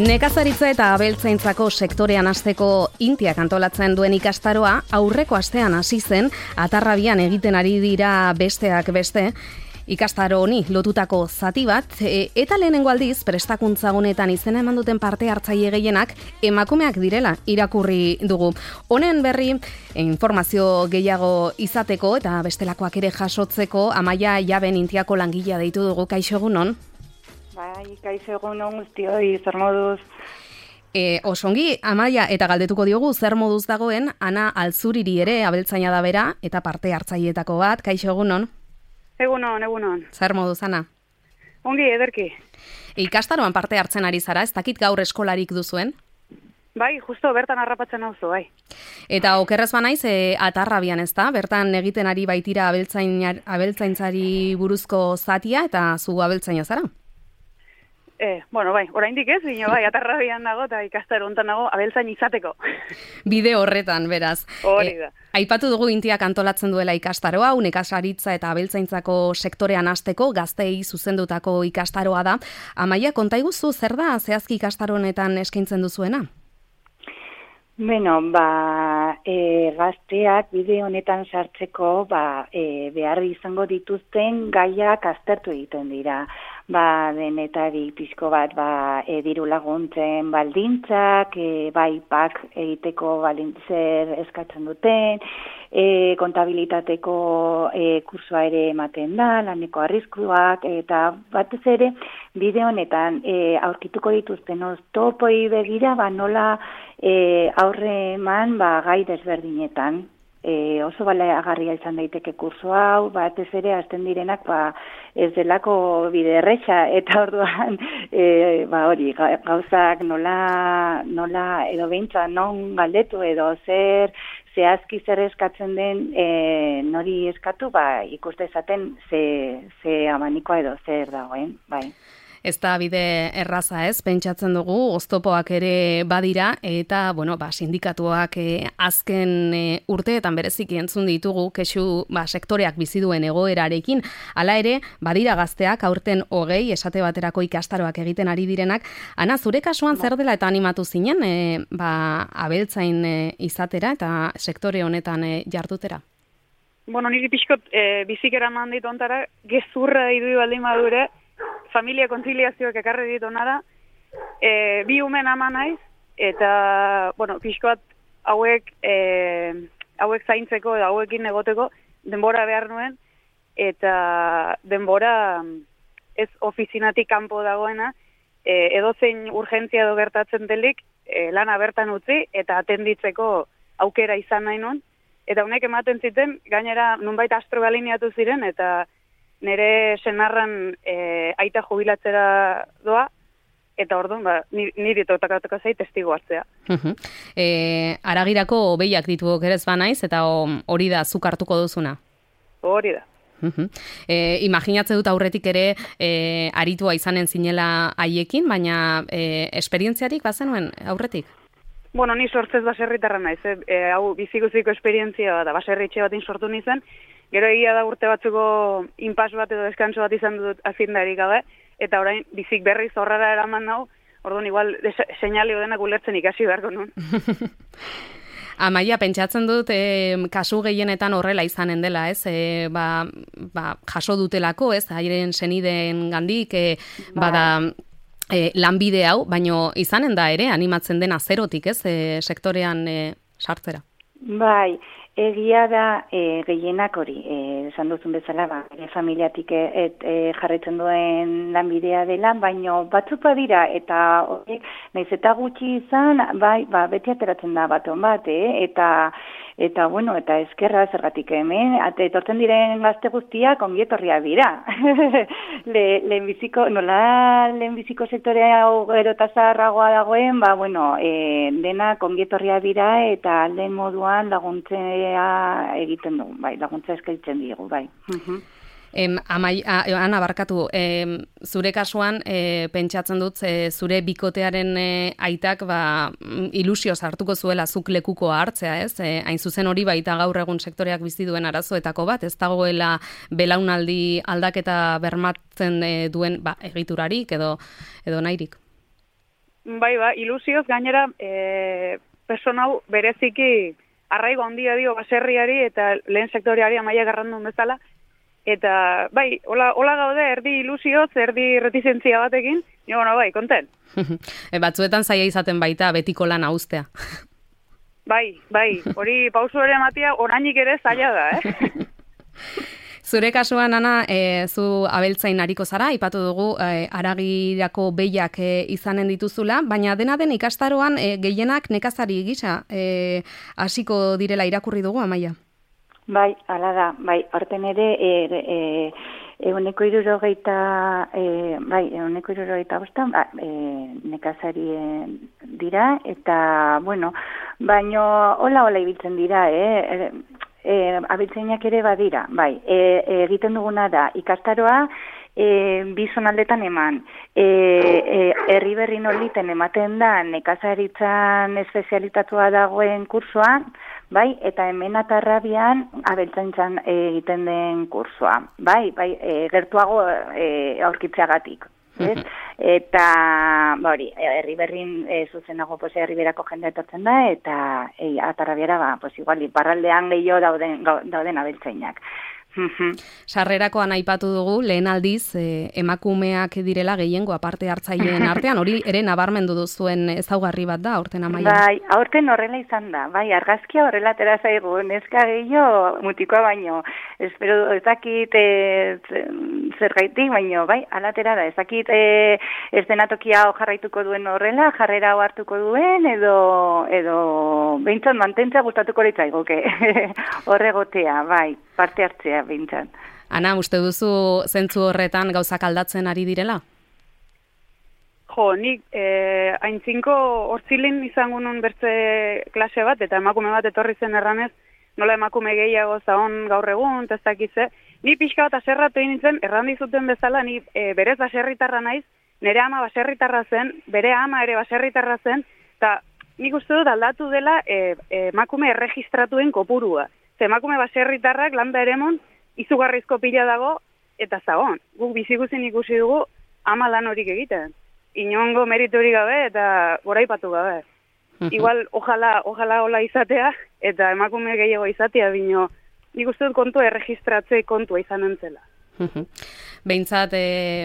Nekazaritza eta abeltzaintzako sektorean hasteko Intiak antolatzen duen ikastaroa aurreko astean hasi zen, Atarrabian egiten ari dira besteak beste. Ikastaro honi lotutako zati bat, eta lehenengo aldiz prestakuntza honetan izena eman duten parte hartzaile gehienak emakumeak direla irakurri dugu. Honen berri informazio gehiago izateko eta bestelakoak ere jasotzeko Amaia Jaben Intiako langilea deitu dugu. Kaixo egunon? Bai, kaixo egunon guztioi, zer moduz? Osongi, Amaia, eta galdetuko diogu zer moduz dagoen Ana Altzuriri ere abeltzaina da bera eta parte hartzaileetako bat. Kaixo egunon? Egunon. Zer moduz, Ana? Ongi, ederki. Ikastaroan parte hartzen ari zara, ez dakit gaur eskolarik duzuen? Bai, justo bertan harrapatzen nauzu, bai. Eta okerrez banaiz, Atarrabian ez da, bertan egiten ari baitira abeltzaintzari buruzko zatia eta zu abeltzaina zara? Bai, oraindik ez, bai, Atarrabian nago eta ikastaro hontan nago abeltzain izateko. Bide horretan, beraz. Hori da. Aipatu dugu Intiak antolatzen duela ikastaroa, nekazaritza eta abeltzaintzako sektorean hasteko gazteei zuzendutako ikastaroa da. Amaia, konta iguzu zer da zehazki ikastaro honetan eskaintzen duzuena? Beno, gazteak bide honetan sartzeko behar izango dituzten gaiak aztertu egiten dira. Denetarik pixko bat diru laguntzen baldintzak, pak egiteko baldintzer eskatzen duten, kontabilitateko kursua ere ematen da, laneko arriskuak, eta batez ere bide honetan aurkituko dituzten oztopoi begira nola aurre eman gai desberdinetan. Oso baliagarria izan daiteke kurso hau, batez ere hasten direnak ez delako bide erresa, eta orduan hori, gauzak nola edo behintzat non galdetu edo zehazki zer eskatzen den nori eskatu, ikuste esaten ze amanikoa edo zer dagoen, bai. Ez da bide erraza ez, pentsatzen dugu, oztopoak ere badira, eta sindikatuak azken urteetan bereziki entzun ditugu, kexu sektoreak bizi duen egoerarekin, hala ere, badira gazteak aurten 20 esate baterako ikastaroak egiten ari direnak. Ana, zure kasuan zer dela eta animatu zinen, abeltzain izatera eta sektore honetan jardutera? Niri pixkot bizikera mandit ontara, gezurra idu baldin badure, familia kontziliazioak ekarri ditu nara, bi umen ama naiz, eta, pixkoat hauek zaintzeko, hauekin egoteko, denbora behar nuen, eta denbora ez ofizinatik kanpo dagoena, edozein urgentzia edo gertatzen delik, lana bertan utzi, eta atenditzeko aukera izan nahi nuen, eta honek ematen ziten, gainera nunbait astrogaliniatu ziren, eta nire senarran aita jubilatzera doa, eta orduan, niri totakatuko zait testigo hartzea. Aragirako behiak ditu okerez banaiz, eta hori da zuk hartuko duzuna? Hori da. Imaginatze dut aurretik ere aritua izanen zinela haiekin, baina esperientziarik bazenuen aurretik? Ni sortzez baserritarra naiz, hau bizikuziko esperientzia da, baserritxe batin sortu nizan, gero egia da urte batzuko inpas bat edo deskanso bat izan dut azindarik gabe, eta orain bizik berriz horrara eraman nau, orduan igual seinale denak ulertzen ikasi beharko nun. Amaia, pentsatzen dut kasu gehienetan horrela izanen dela, ez? Jaso dutelako, ez? Hairen senideen gandik, bada lanbide hau, baino izanen da ere, animatzen dena zerotik, ez? Sektorean sartzera. Bai, egia da gehienak hori, esan duzun bezala, familiatik jarraitzen duen lanbidea dela, baino batzuk badira, eta horiek, nahiz eta gutxi izan, beti ateratzen da baton bat, eta eskerra zergatik hemen, etortzen diren gazte guztiak ongietorria dira. Lehenbiziko sektorea gero eta zaharragoa dagoen, denak ongietorria dira, eta alden moduan laguntzea egiten dugu, laguntza eskaintzen diegu, bai. Ana, barkatu, zure kasuan pentsatzen dut zure bikotearen aitak ilusioz hartuko zuela zuk lekukoa hartzea, ez? Hain zuzen hori baita gaur egun sektoreak bizi duen arazoetako bat, ez dagoela belaunaldi aldaketa bermatzen duen egiturarik edo nahirik. Bai, ilusioz gainera persona hau bereziki arraigo handia dio baserriari eta lehen sektoreari Amaia Garrandon bezala. Eta, bai, hola gaude, erdi ilusioz, erdi retizentzia batekin, bai, konten. Batzuetan zaila izaten baita betiko lan haustea. Bai, hori pausu ere ematia orainik ere zaila da, Zure kasuan, Ana, zu abeltzain ariko zara, aipatu dugu haragirako behiak izanen dituzula, baina dena den ikastaroan gehienak nekazari gisa hasiko direla irakurri dugu, Amaia? Bai, hala da, bai, horten ere, 160 bostan, nekazari dira, eta, baino, hola ibiltzen dira, abiltzainak ere badira, bai, egiten duguna da, ikastaroa, bi zonaldetan eman, herri berri noliten ematen da nekazaritzan espezialitatua dagoen kursoa, bai, eta hemen Atarrabian abeltzaintzan egiten den kursoa, bai, gertuago aurkitzeagatik. Eta, hori, herri berrin zuzenago herri berako jendea etortzen da, eta Atarrabiara, igual, iparraldean gehiago dauden abeltzainak. Sarrerakoan aipatu dugu, lehen aldiz, emakumeak direla gehiengo aparte hartzaileen artean, hori ere nabarmendu duzuen ezaugarri bat da, aurten Amaia? Bai, aurten horrela izan da, bai, argazkia horrela atera zaigu, neska gehiago mutikoa baino, espero ez dakit zergaitik, baino, bai, alatera da, ez dakit ez denatokia jarraituko duen horrela, jarrera hartuko duen, edo behintzat mantentza gustatuko litzaigoke, horregotea, bai, parte hartzea. Bintzat. Ana, uste duzu zentzu horretan gauzak aldatzen ari direla? Nik aintzinko hortzilin izango nun bertze klase bat, eta emakume bat etorri zen erranez, nola emakume gehiago zaon gaur egun, ez dakize. Ni pixka bat aserratu nintzen, errandizuten bezala, ni berez baserritarra naiz, nire ama baserritarra zen, bere ama ere baserritarra zen, eta nik uste dut aldatu dela emakume erregistratuen kopurua. Emakume baserritarrak landa eremon izugarrizko pila dago eta zagon. Guk biziguzen ikusi dugu ama lan horik egiten. Inongo meritori gabe eta goraipatu gabe. Igual, ojalá hola izatea eta emakume gehiago izatea, bino nik uste dut kontua erregistratze kontua izan entzela. Behintzat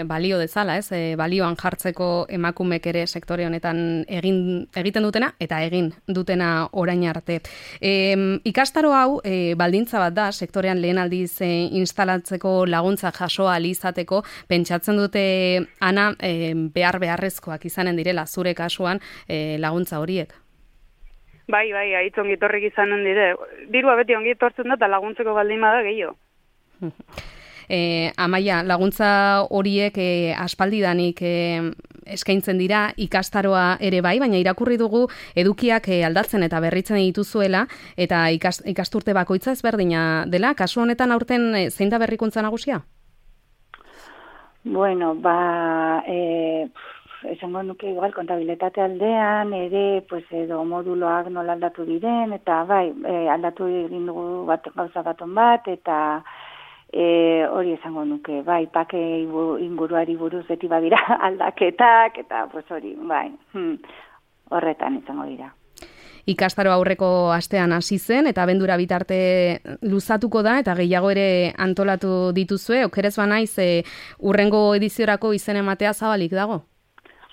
balio dezala, balioan jartzeko emakumek ere sektore honetan egiten dutena eta egin dutena orain arte. Ikastaro hau baldintza bat da, sektorean lehen aldiz instalatzeko laguntza jasoa alizateko, pentsatzen dute, Ana, beharrezkoak izanen direla zure kasuan laguntza horiek? Bai, haitz ongitorrik izanen dire. Dirua beti ongitortzen da eta laguntzeko baldin bada gehiago. Amaia, laguntza horiek aspaldidanik eskaintzen dira ikastaroa ere bai, baina irakurri dugu edukiak aldatzen eta berritzen dituzuela eta ikasturte bakoitza ezberdina dela. Kasu honetan aurten zein da berrikuntza nagusia? Bueno, esango nuke igual kontabilitate aldean ere edo moduloak nola aldatu diren eta bai, aldatu egin dugu gauza baton bat eta hori esango nuke, bai, pake inguruari buruz beti badira aldaketak, eta hori, bai, horretan izango dira. Ikastaro aurreko astean hasi zen, eta abendura bitarte luzatuko da, eta gehiago ere antolatu dituzue, okerez banaiz, urrengo ediziorako izen ematea zabalik dago?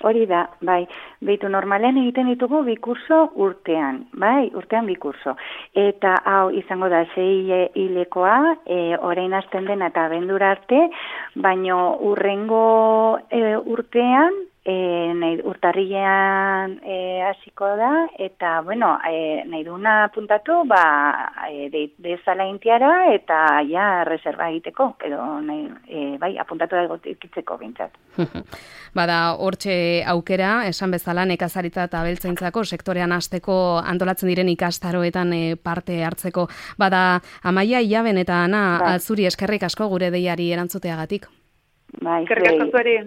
Hori da, bai, behitu normalen egiten ditugu bi kurso urtean, bai, urtean bi kurso. Eta hau izango da 6 hilekoa, orain hasten dena eta abendura arte, baino urrengo urtean, urtarrilean hasiko da, eta, nahi duna puntatu, dezala intiara, eta ja reserva egiteko, edo bai, apuntatu da egotikitzeko bintzat. Bada, hortxe aukera, esan bezala, nekazaritza eta abeltzaintzako sektorean hasteko antolatzen diren ikastaroetan parte hartzeko. Bada, Amaia, Ilaben eta Ana, zuri eskerrik asko gure deiari erantzuteagatik. Bai, eskerrik asko zueri.